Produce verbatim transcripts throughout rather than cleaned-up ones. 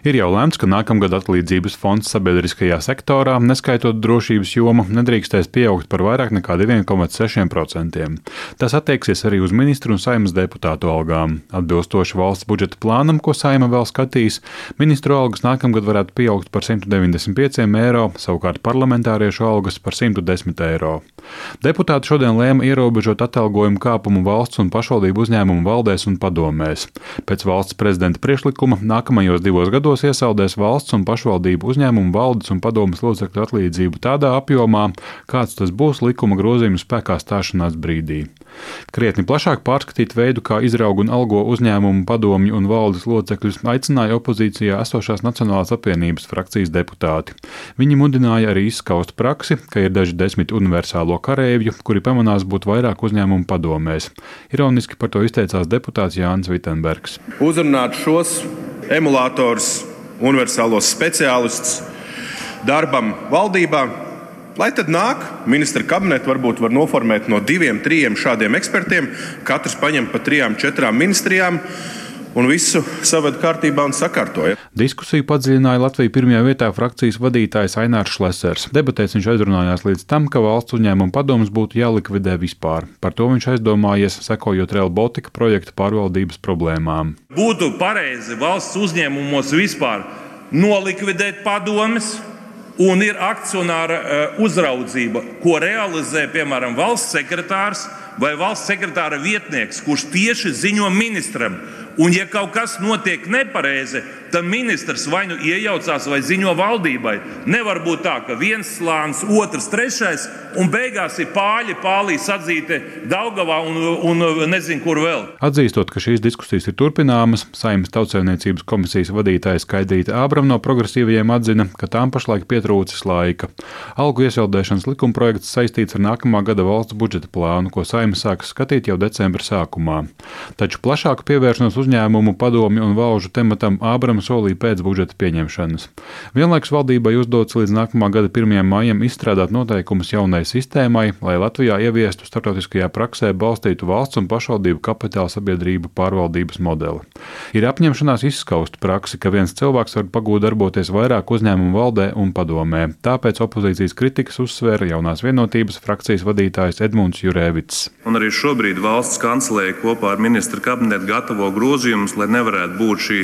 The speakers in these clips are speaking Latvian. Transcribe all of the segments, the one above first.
Ir jau lemts, ka nākamgad atlīdzības fonds sabiedriskajā sektorā, neskaitot drošības jomu, nedrīkstēs pieaugt par vairāk nekā divi komats seši procenti. Tas attieksies arī uz ministru un Saeimas deputātu algām. Atbilstoši valsts budžeta plānam, ko Saeima vēl skatīs, ministru algas nākamgad varētu pieaugt par simt deviņdesmit pieciem eiro, savukārt parlamentāriešu algas par simt desmit eiro. Deputāti šodien lēma ierobežot atalgojumu kāpumu valsts un pašvaldību uzņēmumu valdēs un padomēs. Pēc valsts prezidenta priekšlikuma nākamajos divos gados iesaldēs valsts un pašvaldību uzņēmumu valdes un padomes locekļu atlīdzību tādā apjomā, kāds tas būs likuma grozījuma spēkā stāšanās brīdī. Krietni plašāk pārskatīt veidu, kā izraug un algo uzņēmumu padomju un valdes locekļus, aicināja opozīcijā esošās Nacionālās apvienības frakcijas deputāti. Viņi mudināja arī izskaust praksi, ka ir daži desmit universālo karēvju, kuri pamanās būt vairāk uzņēmumu padomēs. Ironiski par to izteicās deputāts Jānis Vitenbergs. Uzrunāt šos emulators, universālos speciālistus darbam valdībā, lai tad nāk ministra kabineti, varbūt var noformēt no diviem, trījiem šādiem ekspertiem, katrs paņem pa trijām, četrām ministrijām un visu saved kārtībā un sakārtoja. Diskusiju padziļināja Latviju pirmajā vietā frakcijas vadītājs Ainārs Šlesers. Debatēs viņš aizrunājās līdz tam, ka valsts uzņēmuma padomes būtu jālikvidē vispār. Par to viņš aizdomājies, sekojot Rail Baltica projekta pārvaldības problēmām. Būtu pareizi valsts uzņēmumos vispār nolikvidēt padomes, un ir akcionāra uzraudzība, ko realizē, piemēram, valsts sekretārs vai valsts sekretāra vietnieks, kurš tieši ziņo ministram. Un, ja kaut kas notiek nepareizi, tad ministrs vai nu iejaucās vai ziņo valdībai. Nevar būt tā, ka viens slānis, otrs, trešais, un beigās ir pāļi, pālī sadzīti Daugavā un, un nezinu, kur vēl. Atzīstot, ka šīs diskusijas ir turpināmas, Saeimas Tautsaimniecības komisijas vadītāja Skaidrīta Ābrama no progresīvajiem atzina, ka tām pašlaik pietrūcis laika. Algu iesaldēšanas likumprojekts saistīts ar nākamā gada valsts budžeta plānu, ko Saeima sāks skatīt jau decembra sākumā. Taču plašāku pievēršanos uzņēmumu, padomju un valžu tematam Ābrama solīja pēc budžeta pieņemšanas. Vienlaikus valdībai uzdots līdz nākamā gada pirmajam maijam izstrādāt noteikumus jaunai sistēmai, lai Latvijā ieviestu starptautiskajā praksē balstītu valsts un pašvaldību kapitāla sabiedrību pārvaldības modeli. Ir apņemšanās izskaust praksi, ka viens cilvēks var pagūt darboties vairāk uzņēmumu valdē un padomē. Tāpēc opozīcijas kritikas uzsvēra jaunās vienotības frakcijas vadītājs Edmunds Jurēvits. Un arī šobrīd valsts kancelēja kopā ar ministra kabinetu gatavo grozījumus, lai nevarētu būt šī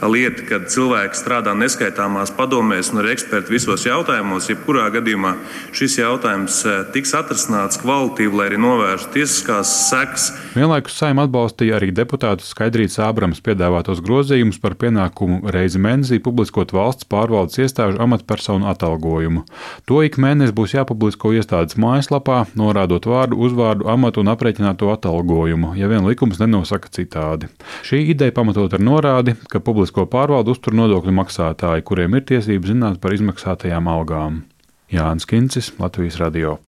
lieta, kad cilvēki strādā neskaitāmās padomēs un ir eksperti visos jautājumos. Jebkurā gadījumā šis jautājums tiks atrisināts kvalitīvi, lai arī novērstu tiesiskās sekas. Vienlaikus Saeima atbalstīja arī deputātu Skaidrītas Ābramas piedāvātos grozījumus par pienākumu reizi mēnesī publiskot valsts pārvaldes iestāžu amatpersonu atalgojumu. To ik mēnesi būs jāpublisko iestādes mājaslapā, norādot vārdu, uzvārdu, amatu un aprēķināto atalgojumu, ja vien likums nenosaka citādi. Šī ideja pamatot ar norādi, ka publisko pārvaldu uztur nodokļu maksātāji, kuriem ir tiesības zināt par izmaksātajām algām. Jānis Kincis, Latvijas radio.